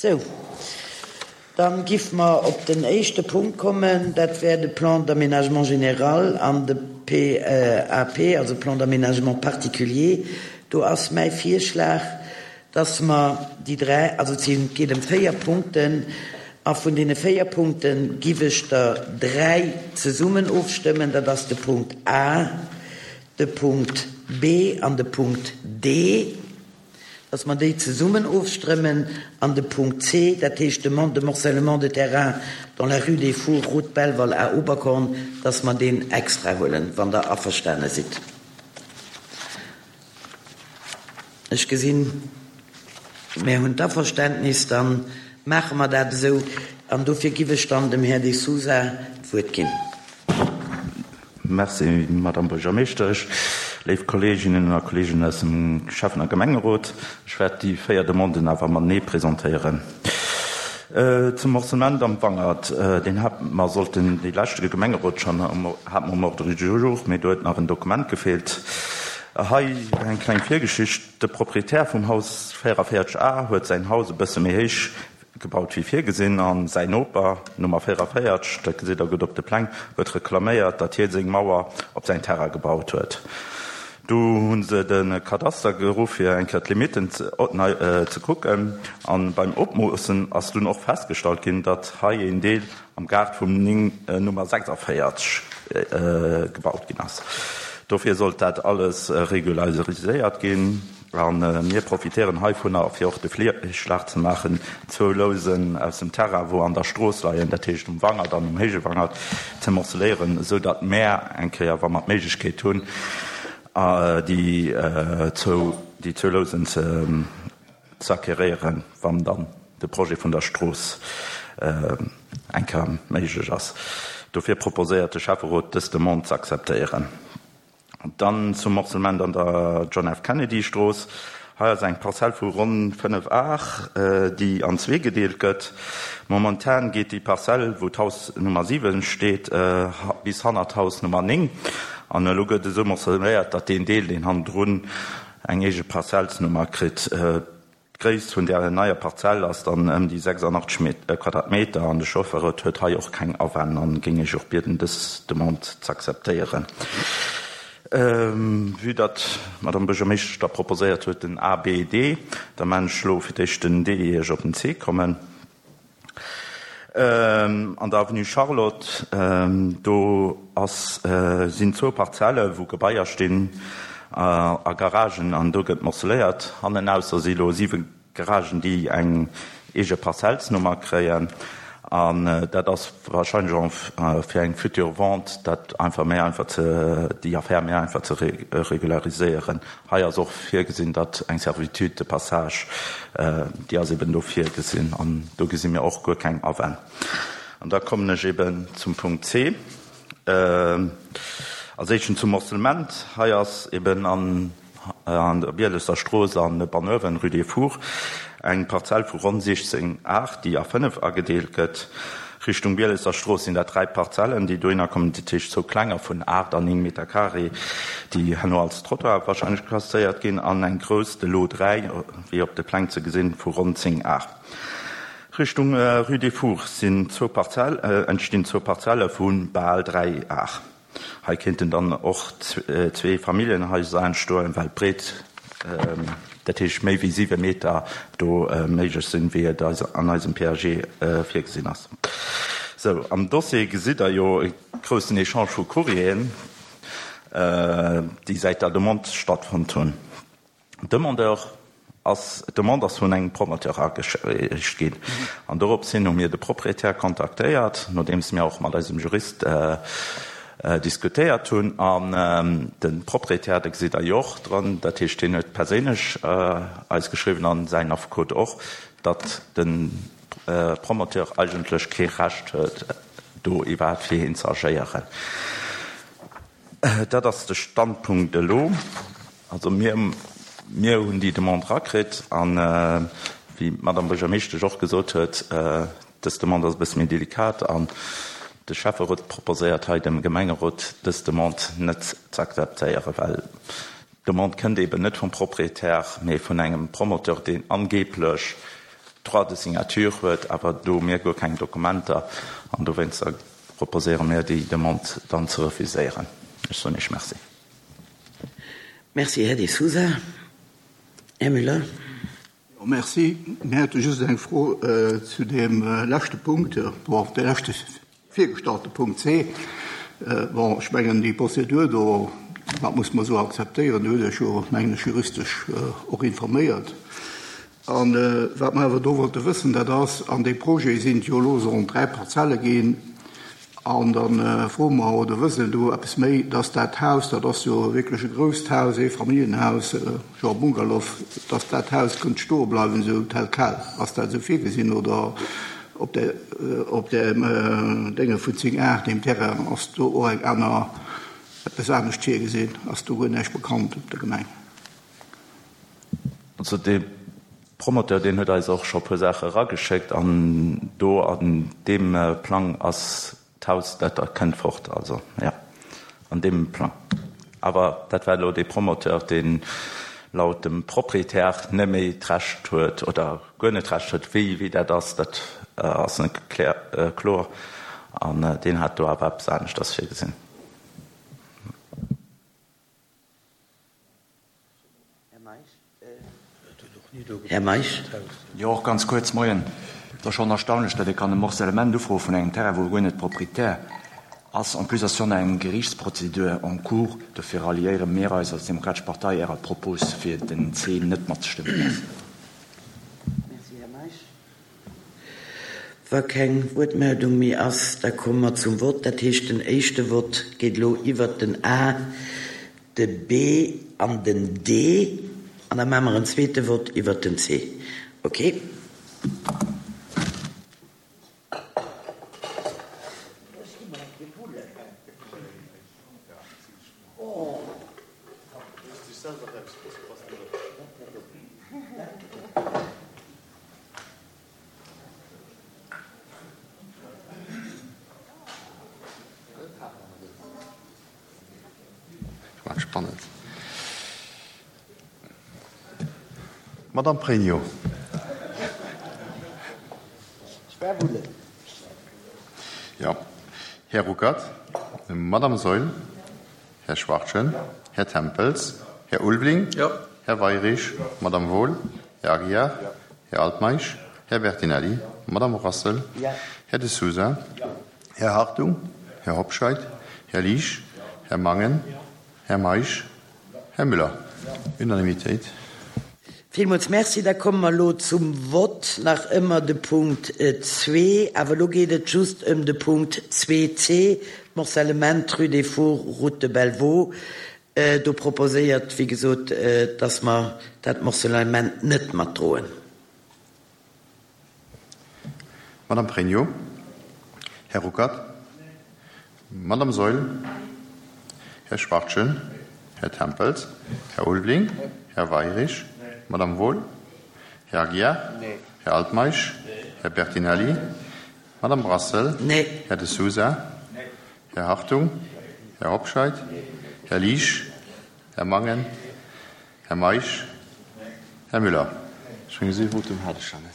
Sou, dann giff mer op den éischte Punkt kommen, dat wär de Plan d'aménagement général an de PAP, also Plan d'aménagement particulier. Do ass mäi Virschlag, dass mer déi dräi, also et sinn, et geet ëm véier Punkten, a vun deene véier Punkte giff ech der dräi zesummen ofstëmmen, dat ass de Punkt A, de Punkt B an de Punkt D. dass mer déi zesummen ofstrëmmen, an de Punkt C, dat heescht Demande de morcellement de terrain dans la rue des Fours, route Belval à Oberkorn, dass mer deen extra huelen, wann Der averstane sidd. Ech gesinn, mär hunn d'Averständnis, da maache mer dat esou. An dofir giff ech dann dem Här De Sousa d'Wuert ginn. Merci, Madame Buergermeeschtesch. Léif Kolleeginnen a Kolleegen aus dem Schäffen a Gemengerot, ech wäert déi 4 Demanden awer matenee presentéieren. Zum Morcellement am Wangert, deen hate mer sollten dee leschte Gemengerot schonn hate mer um Ordre du jour, mee do huet nach en Dokument gefeelt. Hei eng kleng Virgeschicht, De Proprietär vum Haus 44 A huet säin Haus e bësse méi héich Gebaut wéi virgesinn, a säin Noper, Nummer 44, dat gesitt der gutt op de Pläng, huet reklaméiert, datt hie seng Mauer op säin Terrain gebaut huet. Du hu se de Kadaster geruff, fir eng Kéier d'Limitten ze kucken, a beim Opmoossen ass dunn och festgestallt ginn, datt hei een Deel am Gaart vum Nummer 46 gebaut ginn ass. Dofir sollt dat alles regulariséiert ginn. A mir profitéieren heivunner, fir och de Virschlag ze maachen, zwou Lousen aus dem Terrain, wou an der Strooss leien, dat heescht um Wangert an um Héije Wangert, ze morceléieren, esou datt mär eng Kéier, wa mer d'Méiglechkeet hunn, déi zwou, déi zwou Lousen ze acquéréieren, wann dann de Projet vun der Strooss eng Kéier méiglech ass. Dofir proposéiert de Schäfferot, dës Demande ze akzeptéieren. Dann zum Morcellement an der John F. Kennedy Strooss. Hei ass eng Parzell vu ronn 5 Ar, déi an zwee gedeelt gëtt. Momentan geet déi Parzell, wou d'Haus Nummer 7 steet, bis hannert d'Haus Nummer 9. An elo gëtt esou morcelléiert, datt deen Deel, deen hannendrun eng eege Parzellsnummer kritt. D'Gréisst vun där neier Parzell ass dann ëm déi 86 Quadratmeter an de Schäfferot huet hei och keng Awänn an géing Iech och bieden, dës Demande z'akzeptéieren. Vue datt d'Madame Buergermeeschtesch da proposéiert huet den A, B, D, da maan ech elo fir d'éischt den D, ier ech op den C kommen. An der Avenue Charlotte, do ass, sinn zwou Parzelle wou Gebaier stinn a Garagen an do gëtt morceléiert. Hannenausser si lo 7 Garagen, déi eng eege Parzellsnummer kréien an dat ass wahrscheinlech och fir eng future Vente dat einfach méi einfach ze, déi Affär méi einfach ze regulariséieren. Hei ass och virgesinn, datt eng Servitude de passage, déi ass eben do virgesinn an do gesi mir och guer keng Awänn. An da kommen ech eben zum Punkt C. Als éischten zum Morcellement. Hei ass eben an der Bielesser Strooss an Banuewen, rue des Fours, eng Parzell vu ronn 16 Ar, déi a 5 agedeelt gëtt. Richtung Bielesser Strooss sinn dat 3 Parzellen, déi dohinner kommen, dat heescht zwou klenger vun 8 an 9 Meter carré, déi herno als Trottoir wahrscheinlech klasséiert ginn, an eng grouss, de Lot 3, wéi op de Pläng ze gesinn, vu ronn 10 Ar. Richtung Rue des Fours sinn zwou Parzell, entstinn zwou Parzelle vu bal 3 Ar. Hei kéinten dann och zwee Familljenhaiser entstoen, well d'Breet, dat heescht méi wéi 7 Meter, do méiglech sinn, wéi et an eisem PAG virgesinn ass. Sou, am Dossier gesitt Der jo e groussen Echange vu Courrieren, déi säit der Demande stattfonnt hunn. Demandeur ass, d'Demande ass vun engem Promoteur agereecht ginn an dorops hin hu mir de Proprietär kontaktéiert, nodeems mir och mat eisem Jurist diskutéiert hunn. An de Proprietär, de gesitt Der jo och dran, dat heescht hien huet perséinlech eis geschriwwen an säin Affekot och, datt de Promoteur eigentlech kee Recht huet do iwwerhaapt fir hien ze agéieren. Dat ass de Standpunkt elo. Also mir, mir hunn déi Demande erakritt an, wéi d'Madame Buergermeeschtesch och gesot huet, dës Demande ass e bësse méi delikat an de Schäfferot proposéiert hei dem Gemengerot, dës Demande net ze akzeptéieren, well d'Demande kënnt eeben net vum Proprietär, mee vun engem Promoteur, deen angeeblech. Droit de signature huet, awer do hu mir guer keng Dokumenter an dowéinster proposéiere mir déi Demande dann ze refuséieren. Ech soen Iech Merci. Merci, Här De Sousa. Här Müller. Jo, merci. Mir hätte just eng Fro zu deem leschte Punkt, bon, de leschte virgestallte Punkt C. Bon, ech mengen, déi Prozedur do, dat muss mer esou akzeptéieren. Do hutt Der Iech jo, mengen ech, juristesch och informéiert. A wat mer awer do wollte wëssen, dat ass, an dee Projet sinn et jo elo, sollen 3 Parzelle ginn, an da froe mer, oder wëssen do eppes méi, dass dat Haus, dat ass jo wierklech e grousst Haus, Eefamilljenhaus, genre Bungalow, dass dat Haus kënnt stoe bleiwen esou tel quel. Ass dat esou virgesinn oder op där, op där Dénge vun 10 Ar, deem Terrain, ass do och eng aner, eppes anescht virgesinn? Ass do guer näischt bekannt op der Gemeng? Also dee Promoteur, deen huet eis och scho e puer Saache erageschéckt an do an deem Plang ass d'Haus, dat da kënnt fort. Also jo, an deem Plang. Awer dat war elo dee Promoteur, deen laut dem Proprietär net méi d'Recht huet oder guer net d'Recht huet, wéi wéi dat ass, dat ass net kloer. An deen hat do awer eppes aneschters virgesinn. Här Meisch. Jo, och ganz kuerz. Moien. Et ass schonn erstaunlech, datt ee kann e Morcellement ufroe vun engem Terrain, wou e guer net Proprietär ass. En plus ass schonn eng Geriichtsprozedur en cours. Dofir ralliéiere mir eis als Demokratesch Partei Ärer Propos, fir den C net matzestëmmen. Merci. Merci, Här Meisch. Wa keng Wuertmeldung méi ass, da komme mer zum Vott. Dat heescht, den éischte Vott geet elo iwwert den A, de B an den D. An da maache mer en zweete Vott iwwert den C. Okay. Spannend. Madame Pregno. Jo. Här Ruckert. Madame Saeul. Här Schwachtgen. Här Tempels. Här Ulveling. Här Weirich. Madame Wohl. Här Aguiar. Här Altmeisch. Här Bertinelli. Madame Rassel. Här De Sousa. Här Hartung. Här Hobscheit. Här Liesch. Här Mangen. Här Meisch. Här Müller. Unanimitéit. Villmools Merci. Da komme mer elo zum Vott. Nach ëmmer de Punkt zwee, awer elo geet et just ëm de Punkt zwee c, d'Morcellement rue des Fours, route de Bellevaux. Do proposéiert, wéi gesot, dass mer dat Morcellement net matdroen. Madame Pregno, Här Ruckert, Madame Saeul, Här Schwachtgen, Här Tempels, Här Ulveling, Här Weirich, Madame Wohl, Här Aguiar, Här Altmeisch, Här Bertinelli, Madame Brassel, Här De Sousa, Här Hartung, Här Hobscheit, Här Liesch, Här Mangen, Här Meisch, Här Müller. Ech mengen, esou ee Votum hat ech nach net.